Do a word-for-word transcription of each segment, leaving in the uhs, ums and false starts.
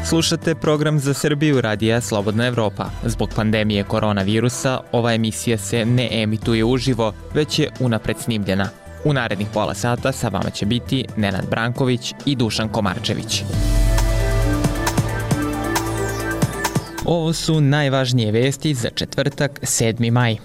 Slušate program za Srbiju radija Slobodna Evropa. Zbog pandemije koronavirusa ova emisija se ne emituje uživo, već je unapred snimljena. U narednih pola sata sa vama će biti Nenad Branković i Dušan Komarčević. Ovo su najvažnije vesti za četvrtak, sedmi maj.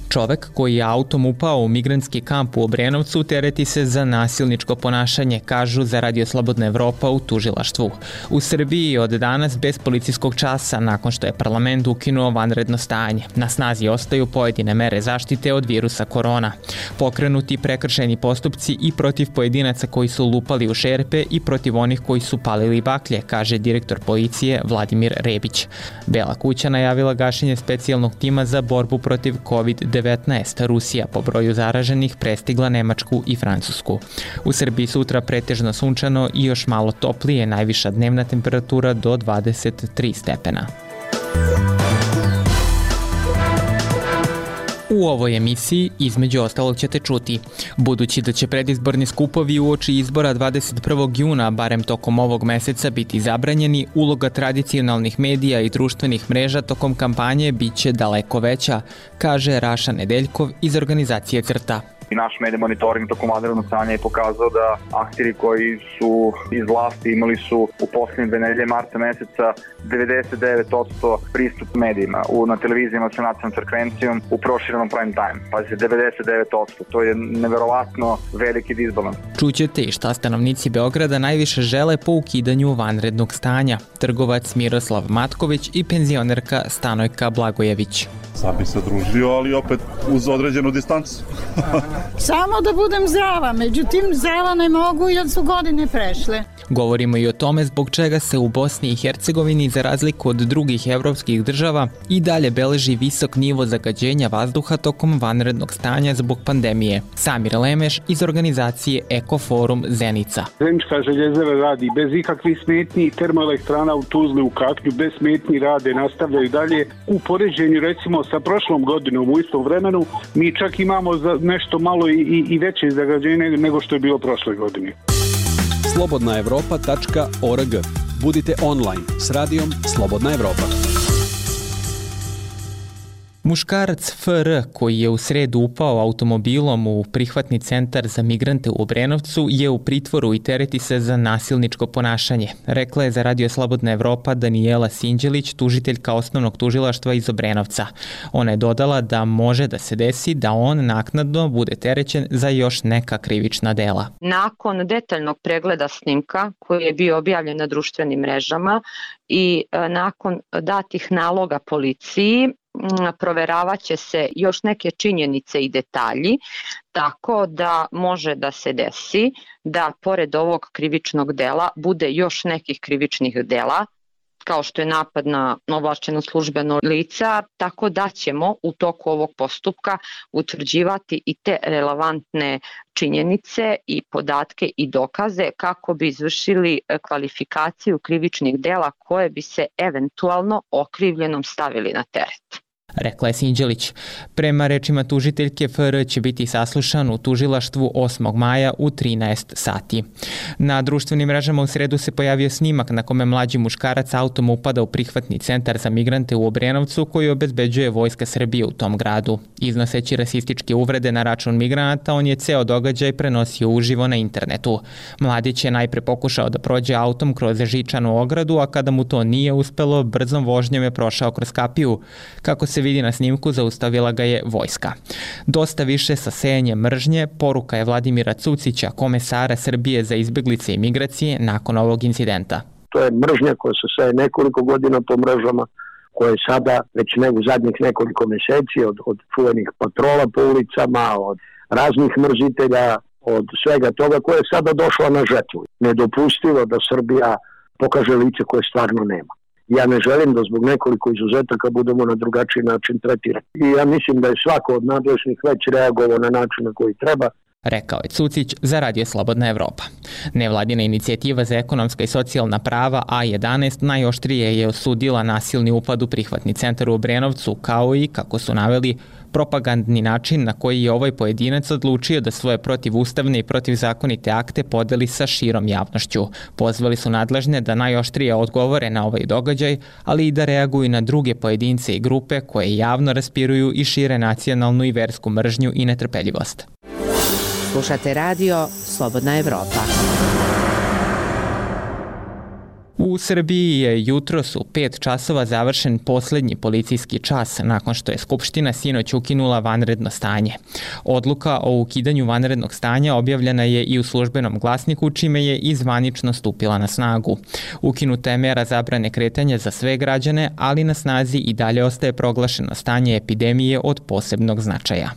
Čovek koji je autom upao u migrantski kamp u Obrenovcu tereti se za nasilničko ponašanje, kažu za Radio Slobodna Evropa u tužilaštvu. U Srbiji od danas bez policijskog časa nakon što je parlament ukinuo vanredno stanje. Na snazi ostaju pojedine mere zaštite od virusa korona. Pokrenuti prekršajni postupci i protiv pojedinaca koji su lupali u šerpe i protiv onih koji su palili baklje, kaže direktor policije Vladimir Rebić. Bela kuća najavila gašenje specijalnog tima za borbu protiv kovid devetnaest. Rusija po broju zaraženih prestigla Nemačku i Francusku. U Srbiji sutra pretežno sunčano i još malo toplije, najviša dnevna temperatura do dvadeset tri stepena. U ovoj emisiji između ostalog ćete čuti. Budući da će predizborni skupovi uoči izbora dvadeset prvog juna, barem tokom ovog meseca, biti zabranjeni, uloga tradicionalnih medija i društvenih mreža tokom kampanje biće daleko veća, kaže Raša Nedeljkov iz organizacije CRTA. I naš medij monitoring tokom vanrednog stanja je pokazao da akteri koji su iz vlasti imali su u poslednje dve nedelje marta meseca devedeset devet posto pristup medijima u, na televizijama sa nacionalnom frekvencijom u proširenom prime time. Pazite, devedeset devet posto. To je neverovatno veliki disbalans. Čućete i šta stanovnici Beograda najviše žele po ukidanju vanrednog stanja. Trgovac Miroslav Matković i penzionerka Stanojka Blagojević. Sad bi se družio, ali opet uz određenu distancu. Samo da budem zdrava, međutim zdrava ne mogu jer su godine prešle. Govorimo i o tome zbog čega se u Bosni i Hercegovini, za razliku od drugih evropskih država, i dalje beleži visok nivo zagađenja vazduha tokom vanrednog stanja zbog pandemije. Samir Lemeš iz organizacije Ekoforum Zenica. Zenička željezara radi bez ikakvih smetnji, termoelektrana u Tuzli u Katlju bez smetnji rade, nastavljaju dalje. U poređenju recimo sa prošlom godinom u istom vremenu mi čak imamo za nešto malo i, i, i veće zagađenje nego što je bilo prošle godine. slobodna evropa tačka org. Budite online s radijom Slobodna Evropa. Muškarac F R koji je u sredu upao automobilom u prihvatni centar za migrante u Obrenovcu je u pritvoru i tereti se za nasilničko ponašanje, rekla je za Radio Slobodna Evropa Danijela Sinđelić, tužiteljka osnovnog tužilaštva iz Obrenovca. Ona je dodala da može da se desi da on naknadno bude terećen za još neka krivična dela. Nakon detaljnog pregleda snimka koji je bio objavljen na društvenim mrežama i nakon datih naloga policiji, proveravat će se još neke činjenice i detalji, tako da može da se desi da pored ovog krivičnog dela bude još nekih krivičnih dela, kao što je napad na ovlašćeno službeno lica, tako da ćemo u toku ovog postupka utvrđivati i te relevantne činjenice i podatke i dokaze kako bi izvršili kvalifikaciju krivičnih dela koje bi se eventualno okrivljenom stavili na teret, rekla je Sinđelić. Prema rečima tužiteljke, F R će biti saslušan u tužilaštvu osmog maja u trinaest sati. Na društvenim mrežama u sredu se pojavio snimak na kome mlađi muškarac autom upada u prihvatni centar za migrante u Obrenovcu koji obezbeđuje Vojska Srbije u tom gradu. Iznoseći rasističke uvrede na račun migranata, on je ceo događaj prenosio uživo na internetu. Mladić je najpre pokušao da prođe autom kroz žičanu ogradu, a kada mu to nije uspelo, brzom vožnjom je prošao kroz kapiju. Kako se vidi na snimku, zaustavila ga je vojska. Dosta više sa sejanjem mržnje, poruka je Vladimira Cucića, komesara Srbije za izbeglice i migracije, nakon ovog incidenta. To je mržnja koja se seje nekoliko godina po mrežama, koja je sada već ne u zadnjih nekoliko meseci od, od čuvenih patrola po ulicama, od raznih mrzitelja, od svega toga koja je sada došla na žetvu. Nedopustivo da Srbija pokaže lice koje stvarno nema. Ja ne želim da zbog nekoliko izuzetaka budemo na drugačiji način tretirani. I ja mislim da je svako od nadležnih već reagovao na način na koji treba. rekao je Cucić za Radio Slobodna Evropa. Nevladina inicijativa za ekonomska i socijalna prava A jedanaest najoštrije je osudila nasilni upad u prihvatni centar u Obrenovcu, kao i, kako su naveli, propagandni način na koji je ovaj pojedinac odlučio da svoje protivustavne i protivzakonite akte podeli sa širom javnošću. Pozvali su nadležne da najoštrije odgovore na ovaj događaj, ali i da reaguju na druge pojedince i grupe koje javno raspiruju i šire nacionalnu i versku mržnju i netrpeljivost. Slušate radio Slobodna Evropa. U Srbiji je jutros u pet časova završen poslednji policijski čas nakon što je Skupština sinoć ukinula vanredno stanje. Odluka o ukidanju vanrednog stanja objavljena je i u službenom glasniku, čime je i zvanično stupila na snagu. Ukinuta je mera zabrane kretanja za sve građane, ali na snazi i dalje ostaje proglašeno stanje epidemije od posebnog značaja.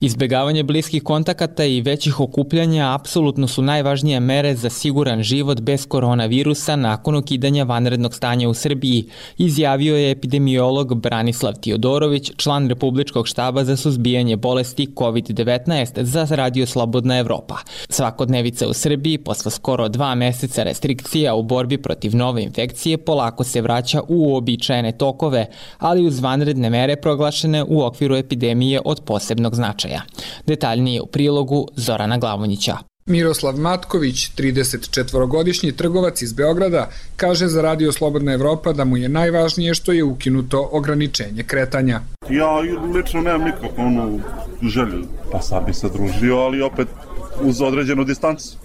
Izbegavanje bliskih kontakata i većih okupljanja apsolutno su najvažnije mere za siguran život bez koronavirusa nakon ukidanja vanrednog stanja u Srbiji, izjavio je epidemiolog Branislav Tiodorović, član Republičkog štaba za suzbijanje bolesti kovid devetnaest za Radio Slobodna Evropa. Svakodnevica u Srbiji posle skoro dva meseca restrikcija u borbi protiv nove infekcije polako se vraća u uobičajene tokove, ali uz vanredne mere proglašene u okviru epidemije od posebnog značaja. Detaljnije u prilogu Zorana Glavonjića. Miroslav Matković, trideset četvorogodišnji trgovac iz Beograda, kaže za Radio Slobodna Evropa da mu je najvažnije što je ukinuto ograničenje kretanja. Ja lično nemam nikakvu onu želju, pa sad bi se družio, ali opet uz određenu distancu.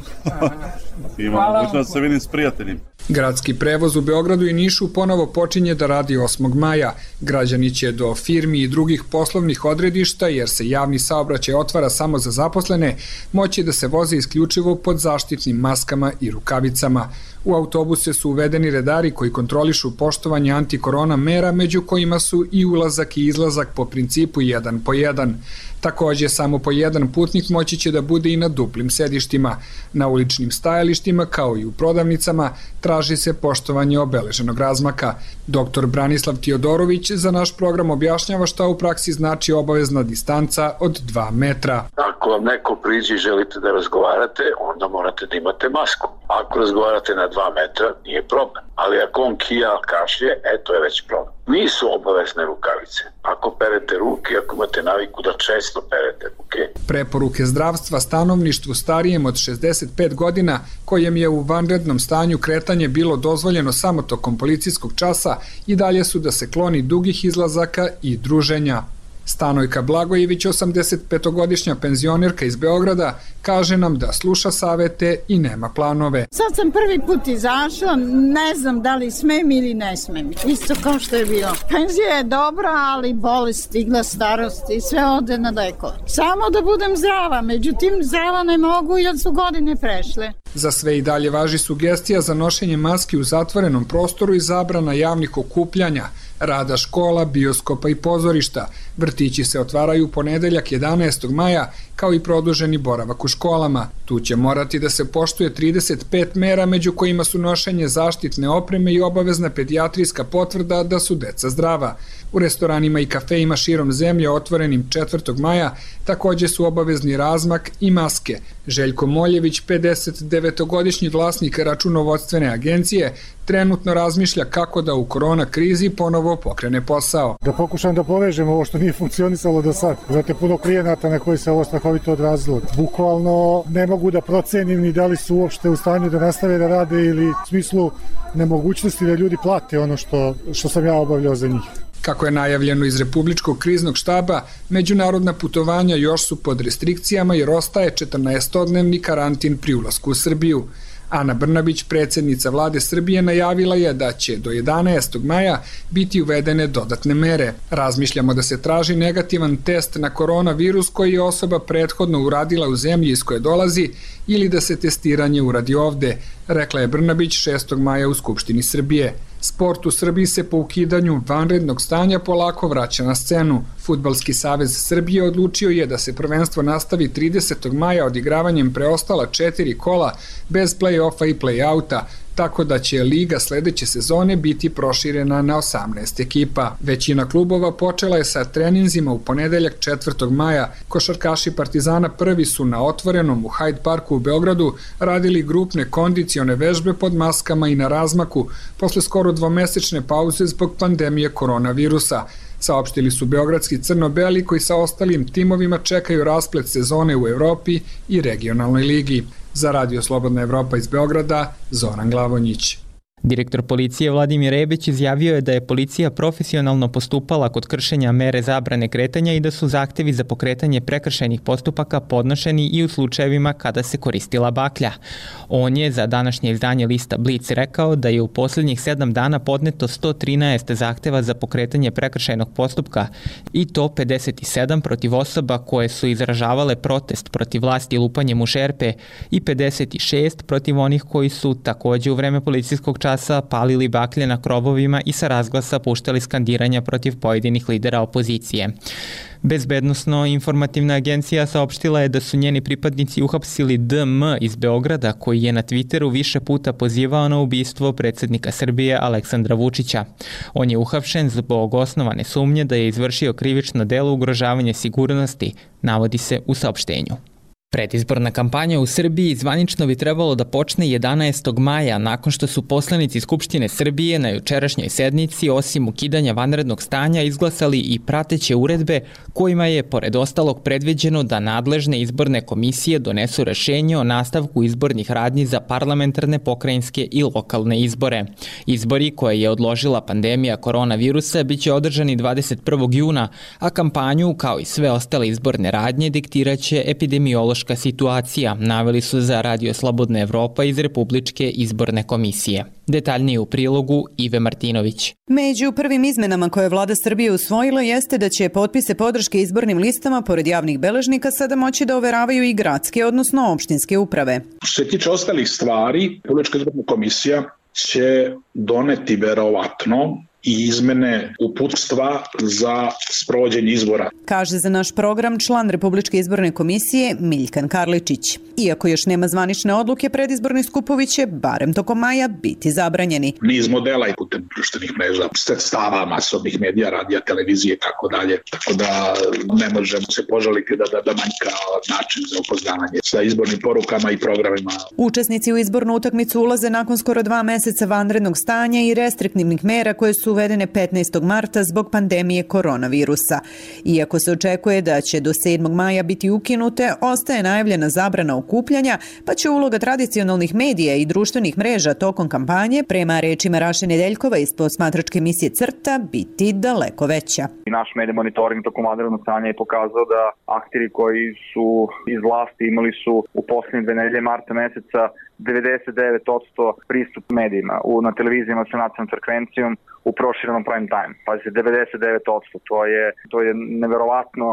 Imam mogućnost da se vidim s prijateljima. Gradski prevoz u Beogradu i Nišu ponovo počinje da radi osmog maja. Građani će do firmi i drugih poslovnih odredišta, jer se javni saobraćaj otvara samo za zaposlene, moći da se voze isključivo pod zaštitnim maskama i rukavicama. U autobuse su uvedeni redari koji kontrolišu poštovanje antikorona mera, među kojima su i ulazak i izlazak po principu jedan po jedan. Takođe, samo po jedan putnik moći će da bude i na duplim sedištima. Na uličnim stajalištima, kao i u prodavnicama, traži se poštovanje obeleženog razmaka. Doktor Branislav Tiodorović za naš program objašnjava šta u praksi znači obavezna distanca od dva metra. Ako vam neko priđe i želite da razgovarate, onda morate da imate masku. Ako razgovarate na dva metra, nije problem. Ali ako on kija, kašlje, e, to je već problem. Nisu obavezne rukavice. Ako perete ruke, ako imate naviku da često perete ruke. Preporuke zdravstva stanovništvu starijem od šezdeset pet godina, kojem je u vanrednom stanju kretanje bilo dozvoljeno samo tokom policijskog časa, i dalje su da se kloni dugih izlazaka i druženja. Stanojka Blagojević, osamdesetpetogodišnja penzionerka iz Beograda, kaže nam da sluša savete i nema planove. Sad sam prvi put izašla, ne znam da li smem ili ne smem, isto kao što je bilo. Penzija je dobra, ali bolest stigla, starost i sve ode na lekove. Samo da budem zdrava, međutim zdrava ne mogu jer su godine prešle. Za sve i dalje važi sugestija za nošenje maski u zatvorenom prostoru i zabrana javnih okupljanja, rada škola, bioskopa i pozorišta. Vrtići se otvaraju ponedeljak jedanaestog maja, kao i produženi boravak u školama. Tu će morati da se poštuje trideset pet mera, među kojima su nošenje zaštitne opreme i obavezna pedijatrijska potvrda da su deca zdrava. U restoranima i kafejima širom zemlje otvorenim četvrtog maja takođe su obavezni razmak i maske. Željko Moljević, pedeset devetogodišnji vlasnik računovodstvene agencije, trenutno razmišlja kako da u korona krizi ponovo pokrene posao. Da pokušam da povežem ovo što nije funkcionisalo do sad. Znate, puno klijenata na koji se ovo strahovito odrazilo. Bukvalno ne mogu da procenim ni da li su uopšte u stanju da nastave da rade ili u smislu nemogućnosti da ljudi plate ono što, što sam ja obavljao za njih. Kako je najavljeno iz Republičkog kriznog štaba, međunarodna putovanja još su pod restrikcijama jer ostaje četrnaestodnevni karantin pri ulasku u Srbiju. Ana Brnabić, predsjednica vlade Srbije, najavila je da će do jedanaestog maja biti uvedene dodatne mere. Razmišljamo da se traži negativan test na koronavirus koji je osoba prethodno uradila u zemlji iz koje dolazi ili da se testiranje uradi ovde, rekla je Brnabić šestog maja u Skupštini Srbije. Sport u Srbiji se po ukidanju vanrednog stanja polako vraća na scenu. Fudbalski savez Srbije odlučio je da se prvenstvo nastavi tridesetog maja odigravanjem preostala četiri kola bez play-offa i play-outa. tako da će Liga sledeće sezone biti proširena na osamnaest ekipa. Većina klubova počela je sa treninzima u ponedeljak četvrtog maja. Košarkaši Partizana prvi su na otvorenom u Hyde Parku u Beogradu radili grupne kondicione vežbe pod maskama i na razmaku posle skoro dvomesečne pauze zbog pandemije koronavirusa. Saopštili su beogradski crno-beli koji sa ostalim timovima čekaju rasplet sezone u Evropi i regionalnoj ligi. Za Radio Slobodna Evropa iz Beograda, Zoran Glavonjić. Direktor policije Vladimir Rebić izjavio je da je policija profesionalno postupala kod kršenja mere zabrane kretanja i da su zahtevi za pokretanje prekršajnih postupaka podnošeni i u slučajevima kada se koristila baklja. On je za današnje izdanje lista Blic rekao da je u posljednjih sedam dana podneto sto trinaest zahteva za pokretanje prekršajnog postupka i to pedeset sedam protiv osoba koje su izražavale protest protiv vlasti lupanjem u šerpe i pedeset šest protiv onih koji su takođe u vreme policijskog časa palili baklje na krovovima i sa razglasa puštali skandiranja protiv pojedinih lidera opozicije. Bezbednosno-informativna agencija saopštila je da su njeni pripadnici uhapsili D M iz Beograda, koji je na Twitteru više puta pozivao na ubistvo predsjednika Srbije Aleksandra Vučića. On je uhapšen zbog osnovane sumnje da je izvršio krivično delo ugrožavanja sigurnosti, navodi se u saopštenju. Predizborna kampanja u Srbiji zvanično bi trebalo da počne jedanaestog maja, nakon što su poslanici Skupštine Srbije na jučerašnjoj sednici, osim ukidanja vanrednog stanja, izglasali i prateće uredbe kojima je, pored ostalog, predviđeno da nadležne izborne komisije donesu rešenje o nastavku izbornih radnji za parlamentarne, pokrajinske i lokalne izbore. Izbori koje je odložila pandemija koronavirusa biće održani dvadeset prvog juna, a kampanju, kao i sve ostale izborne radnje, diktiraće epidemiološka situacija, naveli su za Radio Slobodna Evropa iz Republičke izborne komisije. Detaljnije u prilogu Ive Martinović. Među prvim izmenama koje je vlada Srbije usvojila jeste da će potpise podrške izbornim listama pored javnih beležnika sada moći da overavaju i gradske, odnosno opštinske uprave. Što se tiče ostalih stvari, Republička izborna komisija će doneti verovatno i izmene uputstva za sprovođenje izbora. Kaže za naš program član Republičke izborne komisije Miljkan Karličić. Iako još nema zvanične odluke, predizborni skupovi će, barem tokom maja, biti zabranjeni. Niz modela i putem društvenih mreža, sredstava masovnih medija, radija, televizije i tako dalje. Tako da ne možemo se požaliti da, da, da manjka način za upoznavanje sa izbornim porukama i programima. Učesnici u izbornu utakmicu ulaze nakon skoro dva meseca vanrednog stanja i restriktivnih mera koje su uvedene petnaestog marta zbog pandemije koronavirusa. Iako se očekuje da će do sedmog maja biti ukinute, ostaje najavljena zabrana okupljanja, pa će uloga tradicionalnih medija i društvenih mreža tokom kampanje, prema rečima Raše Nedeljkova iz posmatračke emisije Crta, biti daleko veća. Naš medij monitoring tokom vanrednog stanja je pokazao da akteri koji su iz vlasti imali su u posljednje dve nedelje marta meseca devedeset devet posto pristup medijima u, na televizijama sa nacionalnom frekvencijom u proširenom prime time. Pazite, devedeset devet posto, to je, to je neverovatno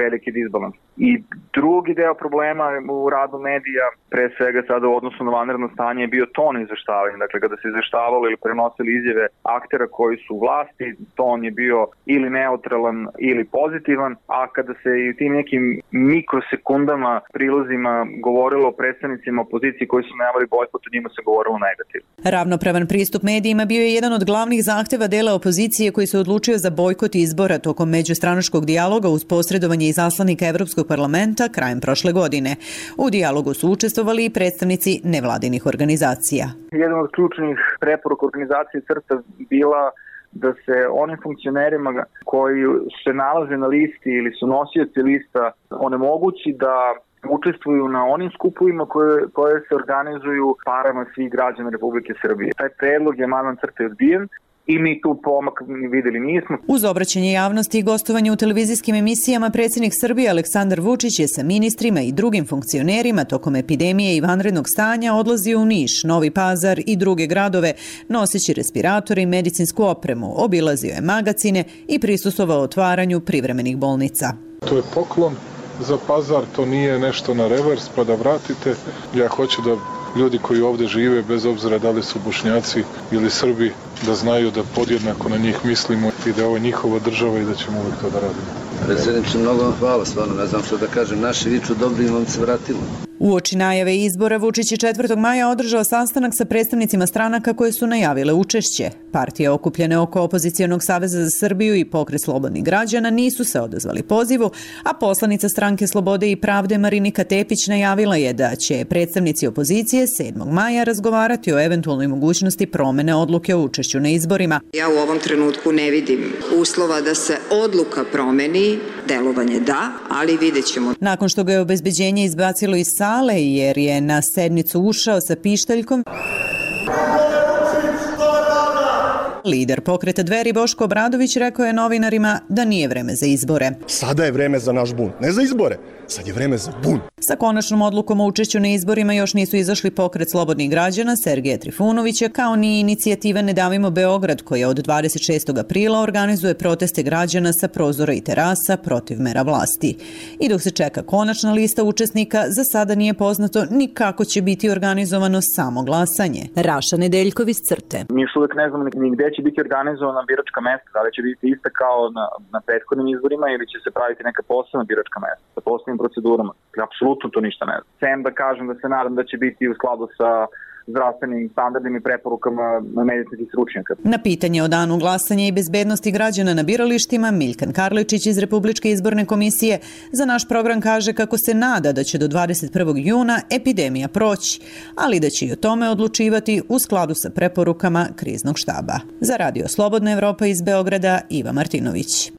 veliki disbalans. I drugi deo problema u radu medija, pre svega sada u odnosu na vanredno stanje, je bio ton izveštavanja. Dakle, kada se izveštavalo ili prenosili izjave aktera koji su u vlasti, ton je bio ili neutralan ili pozitivan, a kada se i tim nekim mikrosekundama, prilozima govorilo o predstavnicima opozicije koji su najavili bojkot, o njima se govorilo negativno. Ravnopravan pristup medijima bio je jedan od glavnih zahteva dela opozicije koji se odlučio za bojkot izbora tokom međustranačkog dijaloga uz posredovanje izaslanika Evropskog parlamenta krajem prošle godine. U dijalogu su učestvovali i predstavnici nevladinih organizacija. Jedan od ključnih preporuka organizacije Crta bila da se onim funkcionerima koji se nalaze na listi ili su nosioci lista onemogući da učestvuju na onim skupovima koje, koje se organizuju parama svih građana Republike Srbije. Taj predlog je amandman Crte odbijen i mi tu pomak videli nismo. Uz obraćanje javnosti i gostovanje u televizijskim emisijama, predsjednik Srbije Aleksandar Vučić je sa ministrima i drugim funkcionerima tokom epidemije i vanrednog stanja odlazio u Niš, Novi Pazar i druge gradove, noseći respiratore i medicinsku opremu, obilazio je magacine i prisustvovao otvaranju privremenih bolnica. To je poklon za Pazar, to nije nešto na revers pa da vratite. Ja hoću da ljudi koji ovde žive, bez obzira da li su Bošnjaci ili Srbi, da znaju da podjednako na njih mislimo i da je ovo njihova država i da ćemo uvijek to da radimo. Predsjedniče, mnogo vam hvala, stvarno, ne znam što da kažem, naši viču dobri vam se vratilo. Uoči najave izbora, Vučić je četvrtog maja održao sastanak sa predstavnicima stranaka koje su najavile učešće. Partije okupljene oko Opozicijonog saveza za Srbiju i Pokret slobodnih građana nisu se odazvali pozivu, a poslanica stranke Slobode i pravde Marinika Tepić najavila je da će predstavnici opozicije sedmog maja razgovarati o eventualnoj mogućnosti promene odluke o učešću na izborima. Ja u ovom trenutku ne vidim uslova da se odluka promeni, delovanje da, ali vidjet ćemo. Nakon što ga je obezbeđenje izbacilo iz sale jer je na sednicu ušao sa pištaljkom, lider pokreta Dveri Boško Obradović rekao je novinarima da nije vreme za izbore. Sada je vreme za naš bunt, ne za izbore, sad je vreme za bunt. Sa konačnom odlukom o učešću na izborima još nisu izašli Pokret slobodnih građana Sergeja Trifunovića, kao ni inicijativa Ne davimo Beograd, koja od dvadeset šestog aprila organizuje proteste građana sa prozora i terasa protiv mera vlasti. I dok se čeka konačna lista učesnika, za sada nije poznato ni kako će biti organizovano samo glasanje. Raša Nedeljković, Crte. Mi još uvek ne znamo ni gde će biti organizovana biračka mesta, da li će biti ista kao na, na prethodnim izborima ili će se praviti neka posebna biračka mesta sa posebnim procedurama. Apsolutno to ništa ne znam. Sem da kažem da se nadam da će biti u skladu sa zdravstvenim standardima i preporukama medicinskih stručnjaka. Na pitanje o danu glasanja i bezbednosti građana na biralištima, Milkan Karličić iz Republičke izborne komisije za naš program kaže kako se nada da će do dvadeset prvog juna epidemija proći, ali da će i o tome odlučivati u skladu sa preporukama kriznog štaba. Za Radio Slobodna Evropa iz Beograda, Iva Martinović.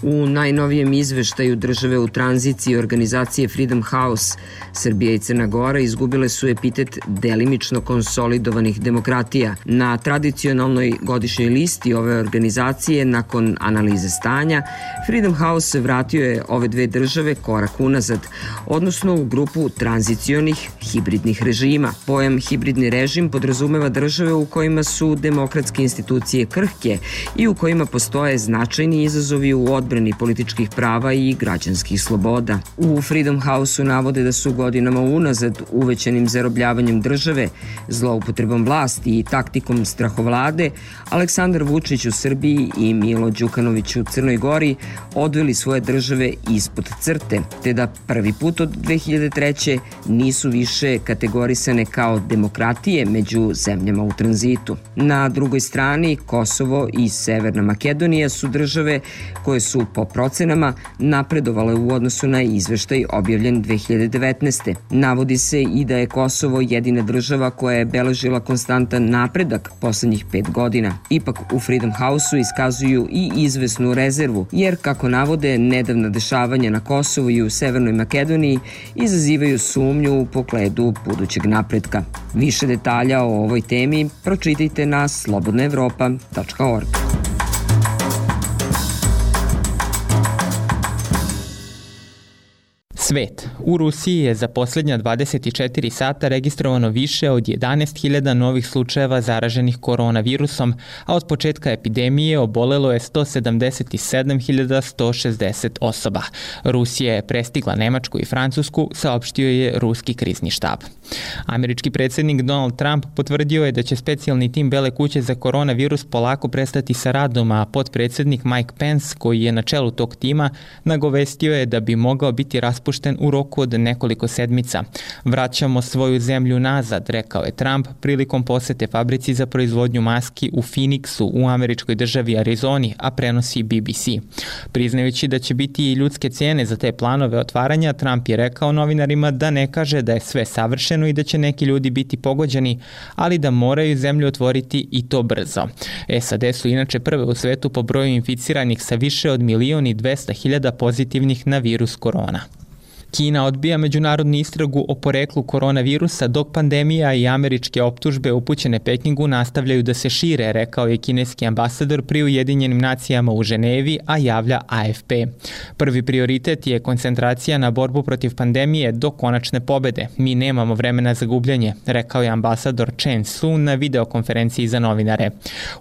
U najnovijem izveštaju države u tranziciji organizacije Freedom House, Srbija i Crna Gora izgubile su epitet delimično konsolidovanih demokratija. Na tradicionalnoj godišnjoj listi ove organizacije, nakon analize stanja, Freedom House vratio je ove dve države korak unazad, odnosno u grupu tranzicionih hibridnih režima. Pojam hibridni režim podrazumeva države u kojima su demokratske institucije krhke i u kojima postoje značajni izazovi u odbrani političkih prava i građanskih sloboda. U Freedom House-u navode da su godinama unazad uvećanim zarobljavanjem države, zloupotrebom vlasti i taktikom strahovlade Aleksandar Vučić u Srbiji i Milo Đukanović u Crnoj Gori odveli svoje države ispod crte, te da prvi put od dve hiljade treće nisu više kategorisane kao demokratije među zemljama u tranzitu. Na drugoj strani, Kosovo i Severna Makedonija su države koje su po procenama napredovale u odnosu na izveštaj objavljen dve hiljade devetnaeste. Navodi se i da je Kosovo jedina država koja je beležila konstantan napredak poslednjih pet godina. Ipak u Freedom House-u iskazuju i izvesnu rezervu, jer kako navode, nedavna dešavanja na Kosovu i u Severnoj Makedoniji izazivaju sumnju u pogledu budućeg napretka. Više detalja o ovoj temi pročitajte na slobodna evropa tačka org. Svet. U Rusiji je za posljednja dvadeset četiri sata registrovano više od jedanaest hiljada novih slučajeva zaraženih koronavirusom, a od početka epidemije obolelo je sto sedamdeset sedam hiljada sto šezdeset osoba. Rusija je prestigla Nemačku i Francusku, saopštio je ruski krizni štab. Američki predsjednik Donald Trump potvrdio je da će specijalni tim Bele kuće za koronavirus polako prestati sa radom, a potpredsjednik Mike Pence, koji je na čelu tog tima, nagovestio je da bi mogao biti raspušten u roku od nekoliko sedmica. Vraćamo svoju zemlju nazad, rekao je Trump prilikom posete fabrici za proizvodnju maski u Phoenixu u američkoj državi Arizoni, a prenosi B B C. Priznajući da će biti i ljudske cijene za te planove otvaranja, Trump je rekao novinarima da ne kaže da je sve savršeno i da će neki ljudi biti pogođeni, ali da moraju zemlju otvoriti i to brzo. S A D su inače prve u svetu po broju inficiranih sa više od milion i dvesta hiljada pozitivnih na virus korona. Kina odbija međunarodnu istragu o poreklu koronavirusa, dok pandemija i američke optužbe upućene Pekingu nastavljaju da se šire, rekao je kineski ambasador pri Ujedinjenim nacijama u Ženevi, a javlja A F P. Prvi prioritet je koncentracija na borbu protiv pandemije do konačne pobede. Mi nemamo vremena za gubljanje, rekao je ambasador Chen Su na videokonferenciji za novinare.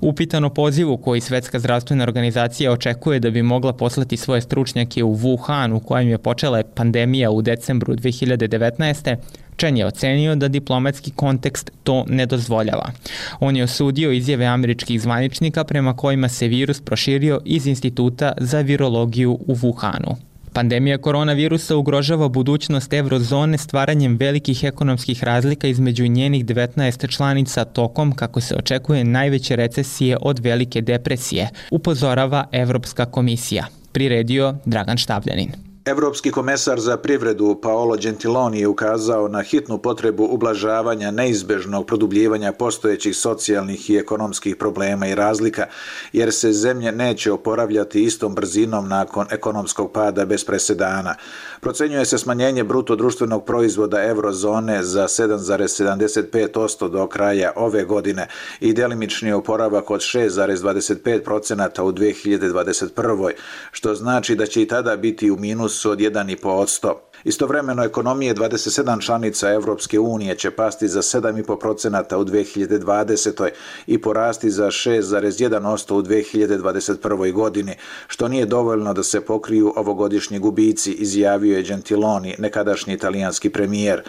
Upitan o pozivu koji Svetska zdravstvena organizacija očekuje da bi mogla poslati svoje stručnjake u Wuhan, u kojem je počela pandemija pandemija u decembru dve hiljade devetnaeste. Chen je ocenio da diplomatski kontekst to ne dozvoljava. On je osudio izjave američkih zvaničnika prema kojima se virus proširio iz Instituta za virologiju u Wuhanu. Pandemija koronavirusa ugrožava budućnost eurozone stvaranjem velikih ekonomskih razlika između njenih devetnaest članica tokom, kako se očekuje, najveće recesije od velike depresije, upozorava Evropska komisija. Priredio Dragan Štavljanin. Evropski komesar za privredu Paolo Gentiloni je ukazao na hitnu potrebu ublažavanja neizbežnog produbljivanja postojećih socijalnih i ekonomskih problema i razlika, jer se zemlje neće oporavljati istom brzinom nakon ekonomskog pada bez presedana. Procenjuje se smanjenje bruto društvenog proizvoda eurozone za sedam zarez sedamdeset pet posto do kraja ove godine i delimični oporavak od šest zarez dvadeset pet posto u dve hiljade dvadeset prvoj. što znači da će i tada biti u minusu od jedan zarez pet posto. Istovremeno, ekonomije dvadeset sedam članica Evropske unije će pasti za sedam zarez pet posto u dve hiljade dvadesetoj. i porasti za šest zarez jedan posto u dve hiljade dvadeset prvoj. godini, što nije dovoljno da se pokriju ovogodišnji gubici, izjavio je Gentiloni, nekadašnji italijanski premijer.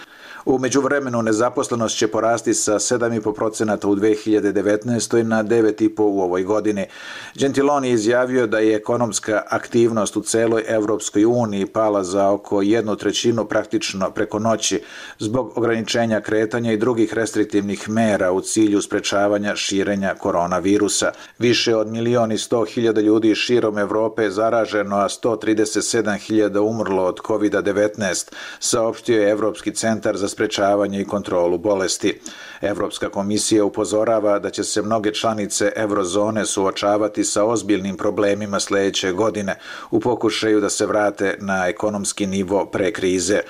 U međuvremenu nezaposlenost će porasti sa sedam zarez pet posto u dve hiljade devetnaestoj. na devet zarez pet posto u ovoj godini. Gentiloni je izjavio da je ekonomska aktivnost u celoj Evropskoj uniji pala za oko jednu trećinu praktično preko noći zbog ograničenja kretanja i drugih restriktivnih mera u cilju sprečavanja širenja koronavirusa. Više od milion i sto hiljada ljudi širom Evrope je zaraženo, a sto trideset sedam hiljada umrlo od kovid devetnaest, saopštio je Evropski centar za sprečavanje i kontrolu bolesti. Evropska komisija upozorava da će se mnoge članice eurozone suočavati sa ozbiljnim problemima sledeće godine u pokušaju da se vrate na ekonomski nivo pre krize.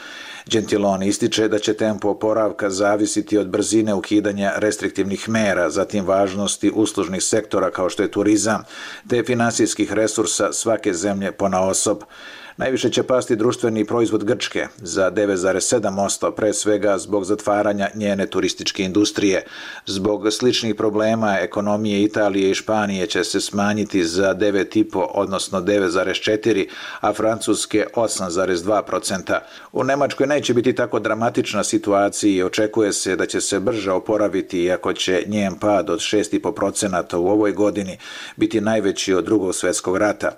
Gentiloni ističe da će tempo oporavka zavisiti od brzine ukidanja restriktivnih mera, zatim važnosti uslužnih sektora kao što je turizam, te finansijskih resursa svake zemlje ponaosob. Najviše će pasti društveni proizvod Grčke za devet zarez sedam posto, pre svega zbog zatvaranja njene turističke industrije. Zbog sličnih problema ekonomije Italije i Španije će se smanjiti za devet zarez pet, odnosno devet zarez četiri, a Francuske osam zarez dva posto. U Nemačkoj neće biti tako dramatična situacija i očekuje se da će se brže oporaviti, iako će njen pad od šest zarez pet posto u ovoj godini biti najveći od Drugog svjetskog rata.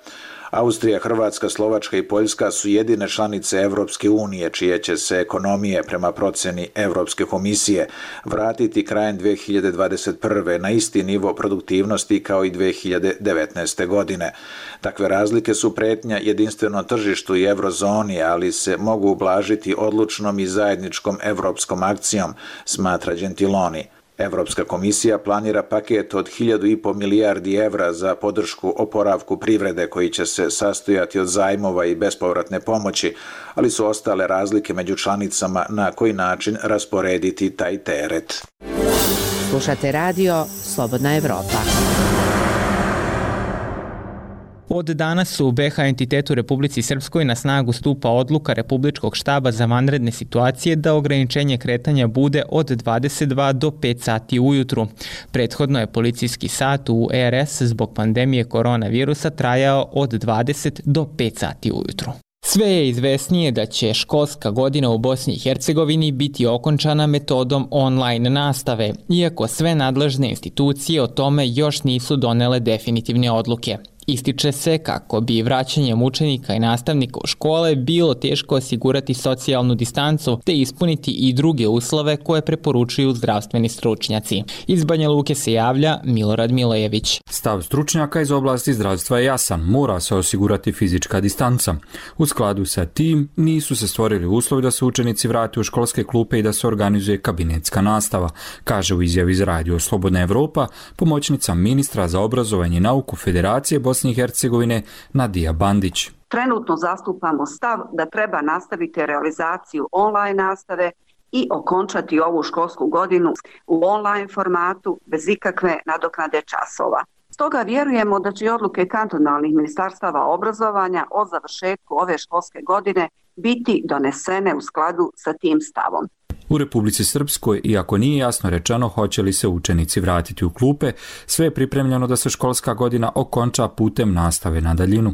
Austrija, Hrvatska, Slovačka i Poljska su jedine članice Evropske unije čije će se ekonomije prema proceni Evropske komisije vratiti krajem dve hiljade dvadeset prve. na isti nivo produktivnosti kao i dve hiljade devetnaeste. godine. Takve razlike su pretnja jedinstvenom tržištu i eurozoni, ali se mogu ublažiti odlučnom i zajedničkom evropskom akcijom, smatra Gentiloni. Evropska komisija planira paket od hiljadu i po milijardi evra za podršku oporavku privrede koji će se sastojati od zajmova i bespovratne pomoći, ali su ostale razlike među članicama na koji način rasporediti taj teret. Slušate radio Slobodna Evropa. Od danas u be ha entitetu Republici Srpskoj na snagu stupa odluka Republičkog štaba za vanredne situacije da ograničenje kretanja bude od dvadeset dva do pet sati ujutru. Prethodno je policijski sat u er es zbog pandemije koronavirusa trajao od dvadeset do pet sati ujutru. Sve je izvesnije da će školska godina u Bosni i Hercegovini biti okončana metodom online nastave, iako sve nadležne institucije o tome još nisu donele definitivne odluke. Ističe se kako bi vraćanjem učenika i nastavnika u škole bilo teško osigurati socijalnu distancu te ispuniti i druge uslove koje preporučuju zdravstveni stručnjaci. Iz Banja Luke se javlja Milorad Milojević. Stav stručnjaka iz oblasti zdravstva je jasan, mora se osigurati fizička distanca. U skladu sa tim nisu se stvorili uslovi da se učenici vrate u školske klupe i da se organizuje kabinetska nastava, kaže u izjavi za radio Slobodna Evropa pomoćnica ministra za obrazovanje i nauku Federacije Bosne i Hercegovine Nadija Bandić. Trenutno zastupamo stav da treba nastaviti realizaciju online nastave i okončati ovu školsku godinu u online formatu bez ikakve nadoknade časova. Stoga vjerujemo da će odluke kantonalnih ministarstava obrazovanja o završetku ove školske godine biti donesene u skladu sa tim stavom. U Republici Srpskoj, iako nije jasno rečeno hoće li se učenici vratiti u klupe, sve je pripremljeno da se školska godina okonča putem nastave na daljinu.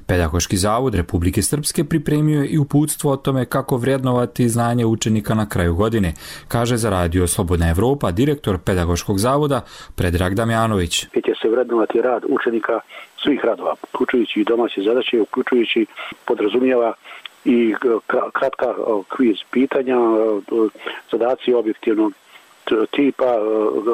Pedagoški zavod Republike Srpske pripremio je i uputstvo o tome kako vrednovati znanje učenika na kraju godine, kaže za Radio Slobodna Evropa direktor Pedagoškog zavoda Predrag Damjanović. Će se vrednovati rad učenika svih radova, uključujući i domaće zadaće, uključujući podrazumijeva i kratka kviz pitanja, zadaci objektivnog tipa,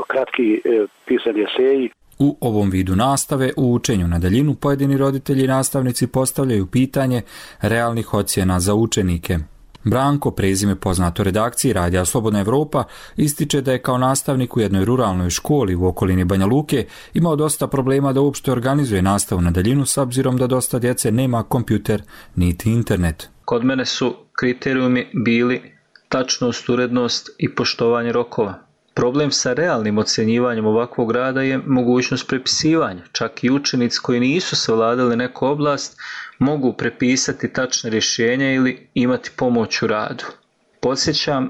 kratki pisani eseji. U ovom vidu nastave u učenju na daljinu pojedini roditelji i nastavnici postavljaju pitanje realnih ocjena za učenike. Branko, prezime poznato redakciji Radija Slobodna Evropa, ističe da je kao nastavnik u jednoj ruralnoj školi u okolini Banja Luke imao dosta problema da uopšte organizuje nastavu na daljinu s obzirom da dosta djece nema kompjuter niti internet. Kod mene su kriterijumi bili tačnost, urednost i poštovanje rokova. Problem sa realnim ocjenjivanjem ovakvog rada je mogućnost prepisivanja. Čak i učenici koji nisu savladali neku oblast mogu prepisati tačne rješenja ili imati pomoć u radu. Podsjećam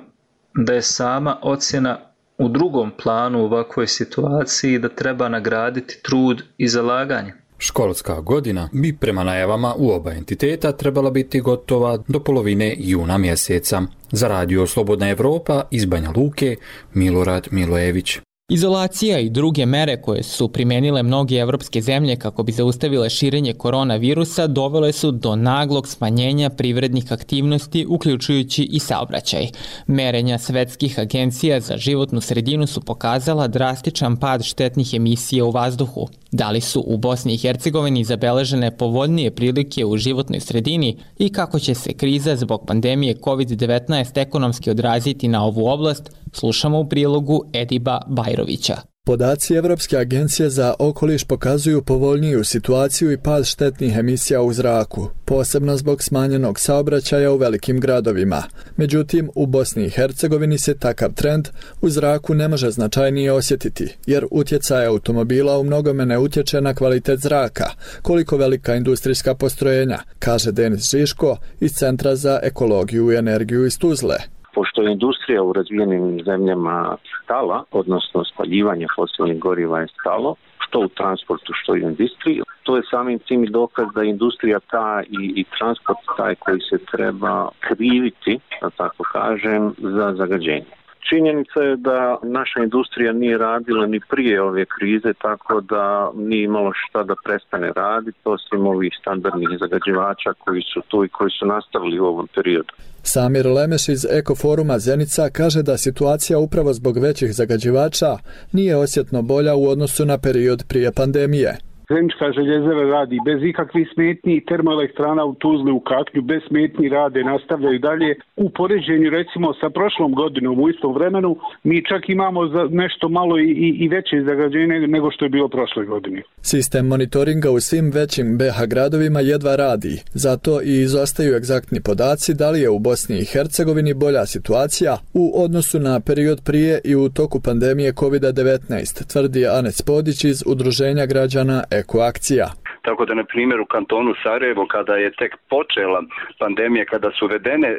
da je sama ocjena u drugom planu u ovakvoj situaciji i da treba nagraditi trud i zalaganje. Školska godina bi prema najavama u oba entiteta trebala biti gotova do polovine juna mjeseca. Za Radio Slobodna Evropa iz Banja Luke, Milorad Milojević. Izolacija i druge mere koje su primenile mnoge evropske zemlje kako bi zaustavile širenje koronavirusa dovele su do naglog smanjenja privrednih aktivnosti, uključujući i saobraćaj. Merenja svetskih agencija za životnu sredinu su pokazala drastičan pad štetnih emisija u vazduhu. Da li su u Bosni i Hercegovini zabeležene povoljnije prilike u životnoj sredini i kako će se kriza zbog pandemije kovid devetnaest ekonomski odraziti na ovu oblast, slušamo u prilogu Ediba Bajrovića. Podaci Evropske agencije za okoliš pokazuju povoljniju situaciju i pad štetnih emisija u zraku, posebno zbog smanjenog saobraćaja u velikim gradovima. Međutim, u Bosni i Hercegovini se takav trend u zraku ne može značajnije osjetiti, jer utjecaj automobila u mnogome ne utječe na kvalitet zraka, koliko velika industrijska postrojenja, kaže Denis Žiško iz Centra za ekologiju i energiju iz Tuzle. Pošto je industrija u razvijenim zemljama stala, odnosno spaljivanje fosilnih goriva je stalo, što u transportu, što i u industriji, to je samim tim i dokaz da je industrija ta i, i transport taj koji se treba kriviti, da tako kažem, za zagađenje. Činjenica je da naša industrija nije radila ni prije ove krize, tako da nije imalo šta da prestane raditi, osim ovih standardnih zagađivača koji su tu i koji su nastavili u ovom periodu. Samir Lemeš iz Ekoforuma Zenica kaže da situacija upravo zbog većih zagađivača nije osjetno bolja u odnosu na period prije pandemije. Zenička željezara radi bez ikakvih smetnji, termoelektrana u Tuzli u Katlju bez smetnji rade, nastavljaju dalje. U poređenju recimo sa prošlom godinom u istom vremenu mi čak imamo za nešto malo i, i, i veće zagađenje nego što je bilo prošle godine. Sistem monitoringa u svim većim be ha gradovima jedva radi, zato i izostaju egzaktni podaci da li je u Bosni i Hercegovini bolja situacija u odnosu na period prije i u toku pandemije kovid devetnaest, tvrdi Anes Podić iz Udruženja građana Ekoakcija. Tako da, na primjer, u kantonu Sarajevo, kada je tek počela pandemija, kada su uvedene e,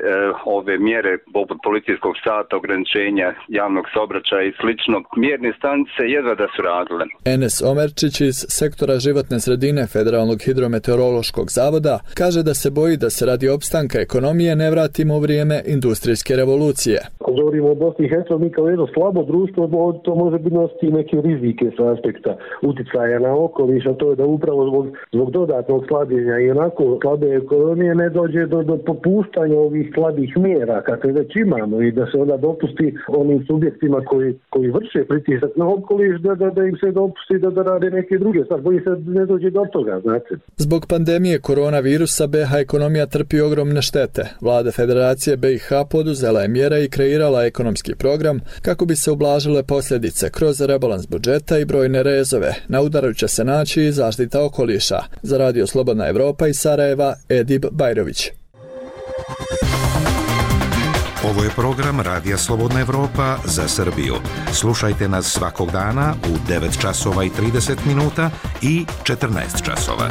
ove mjere poput policijskog sata, ograničenja javnog saobraćaja i slično, mjerne stanice jedva da su radile. Enes Omerčić iz sektora životne sredine Federalnog hidrometeorološkog zavoda kaže da se boji da se radi opstanka ekonomije ne vratimo u vrijeme industrijske revolucije. Ako govorimo o Bosni i Hercegovini kao jedno slabo društvo, to može biti nositi neke rizike sa aspekta uticaja na okoliš, a to je da upravo zbog zbog dodatnog slabljenja i onako slabe ekonomije ne dođe do, do popuštanja ovih slabih mjera kakve već imamo i da se onda dopusti onim subjektima koji, koji vrše pritisak na okoliš da, da, da im se dopusti da, da rade neke druge stvari, boji se ne dođe do toga, znate. Zbog pandemije koronavirusa be ha ekonomija trpi ogromne štete. Vlada Federacije be i ha poduzela je mjere i kreirala ekonomski program kako bi se ublažile posljedice kroz rebalans budžeta i brojne rezove. Na udaru će se naći i zaštita okoliša. Za Radio Slobodna Evropa iz Sarajeva, Edib Bajrović. Ovo je program Radija Slobodna Evropa za Srbiju. Slušajte nas svakog dana u devet časova i trideset minuta i četrnaest časova.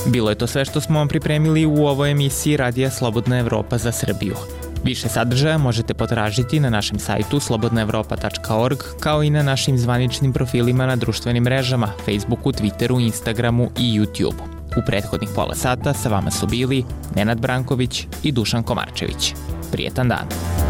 Bilo je to sve što smo vam pripremili u ovoj emisiji Radija Slobodna Evropa za Srbiju. Više sadržaja možete potražiti na našem sajtu slobodna evropa tačka org, kao i na našim zvaničnim profilima na društvenim mrežama, Facebooku, Twitteru, Instagramu i YouTubeu. U prethodnih pola sata sa vama su bili Nenad Branković i Dušan Komarčević. Prijetan dan!